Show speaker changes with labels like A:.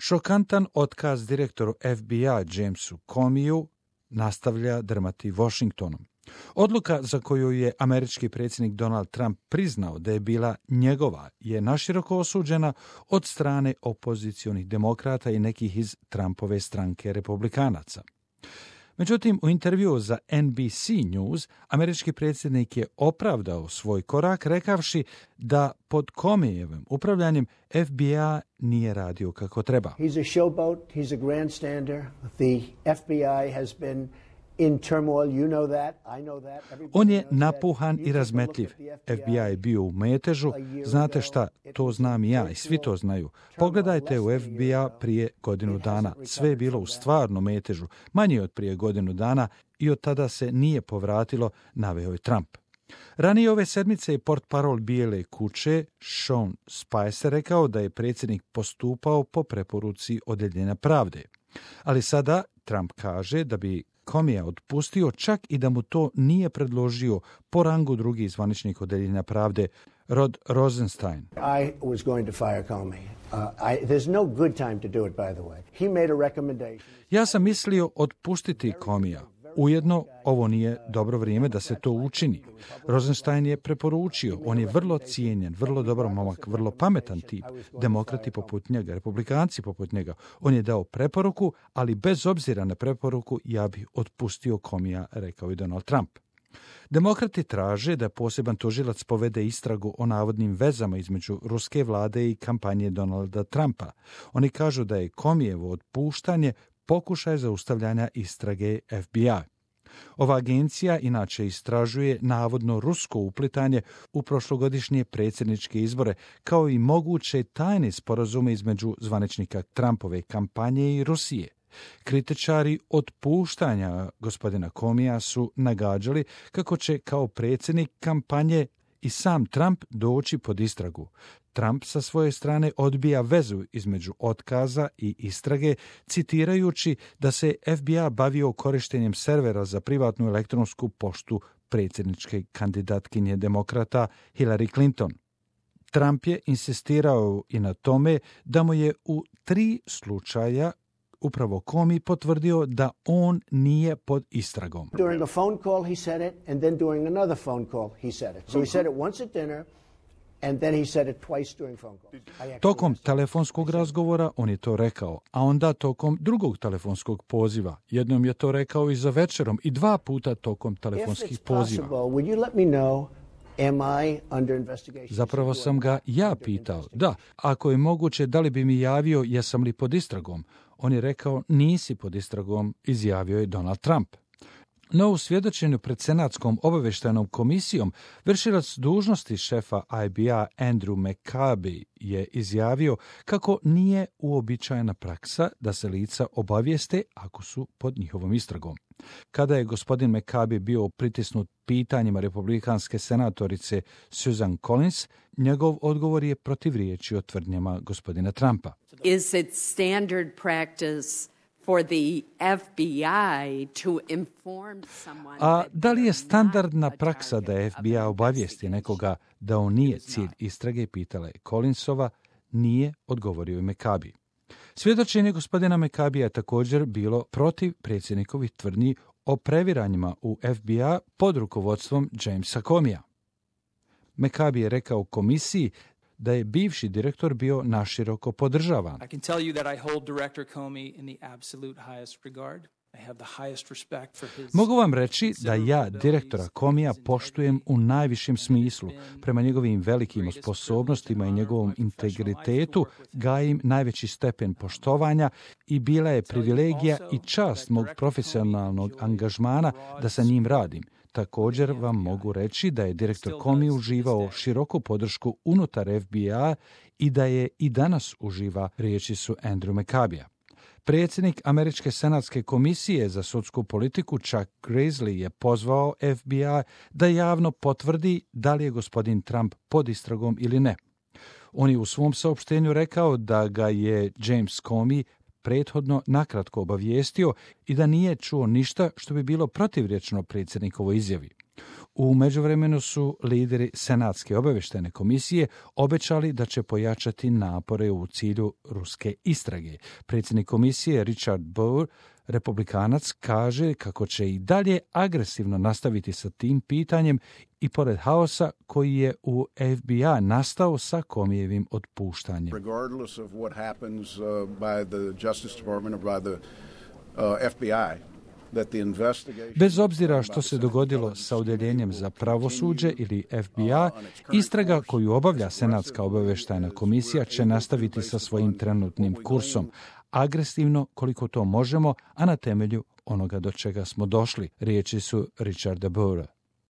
A: Šokantan otkaz direktoru FBI Jamesu Comeyju nastavlja drmati Washingtonom. Odluka za koju je američki predsjednik Donald Trump priznao da je bila njegova je naširoko osuđena od strane opozicionih demokrata i nekih iz Trumpove stranke republikanaca. Međutim, u intervjuu za NBC News američki predsjednik je opravdao svoj korak rekavši da pod Comeyjevim upravljanjem FBI nije radio kako treba.
B: He's a showboat, he's a grandstander. The FBI has been in turmoil, you know that, I know that.
A: On je napuhan i razmetljiv. FBI je bio u metežu. Znate šta, to znam i ja i svi to znaju. Pogledajte u FBI prije godinu dana. Sve je bilo u stvarno metežu, manje od prije godinu dana i od tada se nije povratilo, naveo je Trump. Ranije ove sedmice je portparol Bijele kuće Sean Spicer rekao da je predsjednik postupao po preporuci Odjeljenja pravde. Ali sada Trump kaže da bi Comeyja otpustio čak i da mu to nije predložio po rangu drugih zvaničnih Odjeljenja pravde, Rod Rosenstein.
B: I was going to fire Comey. There's no good time to do it, by the way. He made a recommendation.
A: Ja sam mislio otpustiti Comeyja. Ujedno, ovo nije dobro vrijeme da se to učini. Rosenstein je preporučio, on je vrlo cijenjen, vrlo dobar momak, vrlo pametan tip, demokrati poput njega, republikanci poput njega. On je dao preporuku, ali bez obzira na preporuku ja bih otpustio Comeyja, rekao je Donald Trump. Demokrati traže da poseban tužilac povede istragu o navodnim vezama između ruske vlade i kampanje Donalda Trumpa. Oni kažu da je Comeyjevo otpuštanje pokušaj zaustavljanja istrage FBI. Ova agencija inače istražuje navodno rusko uplitanje u prošlogodišnje predsjedničke izbore, kao i moguće tajne sporazume između zvaničnika Trumpove kampanje i Rusije. Kritičari otpuštanja gospodina Comeyja su nagađali kako će kao predsjednik kampanje i sam Trump doći pod istragu. Trump sa svoje strane odbija vezu između otkaza i istrage, citirajući da se FBI bavio korištenjem servera za privatnu elektronsku poštu predsjedničke kandidatkinje demokrata Hillary Clinton. Trump je insistirao i na tome da mu je u 3 slučaja upravo Comey potvrdio da on nije pod istragom.
B: During a phone call he said it, and then during another phone call he said it. So he said it once at dinner, and then he said it twice during phone calls.
A: Tokom telefonskog razgovora on je to rekao, a onda tokom drugog telefonskog poziva. Jednom je to rekao i za večerom i 2 puta tokom telefonskih poziva.
B: Would you let me know, am I under investigation?
A: Zapravo sam ga ja pitao, da, ako je moguće, da li bi mi javio jesam li pod istragom. On je rekao, nisi pod istragom, izjavio je Donald Trump. No u svjedočenju pred Senatskom obavještajnom komisijom vršilac dužnosti šefa IBA Andrew McCabe je izjavio kako nije uobičajena praksa da se lica obavijeste ako su pod njihovom istragom. Kada je gospodin McCabe bio pritisnut pitanjima republikanske senatorice Susan Collins, njegov odgovor je protivriječio tvrdnjama gospodina Trumpa.
C: Is it standard practice for the FBI to inform someone?
A: A da li je standardna praksa da FBI obavijesti nekoga da on nije cilj istrage, pitala je Collinsova, nije, odgovorio je McCabe. Svjedočenje gospodina McCabea je također bilo protiv predsjednikovih tvrdnji o previranjima u FBI pod rukovodstvom Jamesa Comeyja. McCabe je rekao komisiji da je bivši direktor bio naširoko podržavan.
D: I can tell you that I hold Director Comey in the absolute highest regard. I have the highest respect for his...
A: Mogu vam reći da ja direktora Comeyja poštujem u najvišem smislu. Prema njegovim velikim sposobnostima i njegovom integritetu gajim najveći stepen poštovanja i bila je privilegija i čast mog profesionalnog angažmana da sa njim radim. Također vam mogu reći da je direktor Comey uživao široku podršku unutar FBI i da je i danas uživa, riječi su Andrew McCabea. Predsjednik Američke senatske komisije za sudsku politiku Chuck Grassley je pozvao FBI da javno potvrdi da li je gospodin Trump pod istragom ili ne. On je u svom saopštenju rekao da ga je James Comey prethodno nakratko obavijestio i da nije čuo ništa što bi bilo protivrječno predsjednikovoj izjavi. U međuvremenu su lideri Senatske obavještajne komisije obećali da će pojačati napore u cilju ruske istrage. Predsjednik komisije Richard Burr, republikanac, kaže kako će i dalje agresivno nastaviti sa tim pitanjem i pored haosa koji je u FBI nastao sa Comeyevim otpuštanjem.
E: Regardless of what happens by the Justice Department or by the FBI,
A: bez obzira što se dogodilo sa Odjeljenjem za pravosuđe ili FBI, istraga koju obavlja Senatska obavještajna komisija će nastaviti sa svojim trenutnim kursom, agresivno koliko to možemo, a na temelju onoga do čega smo došli, riječi su Richarda Burra.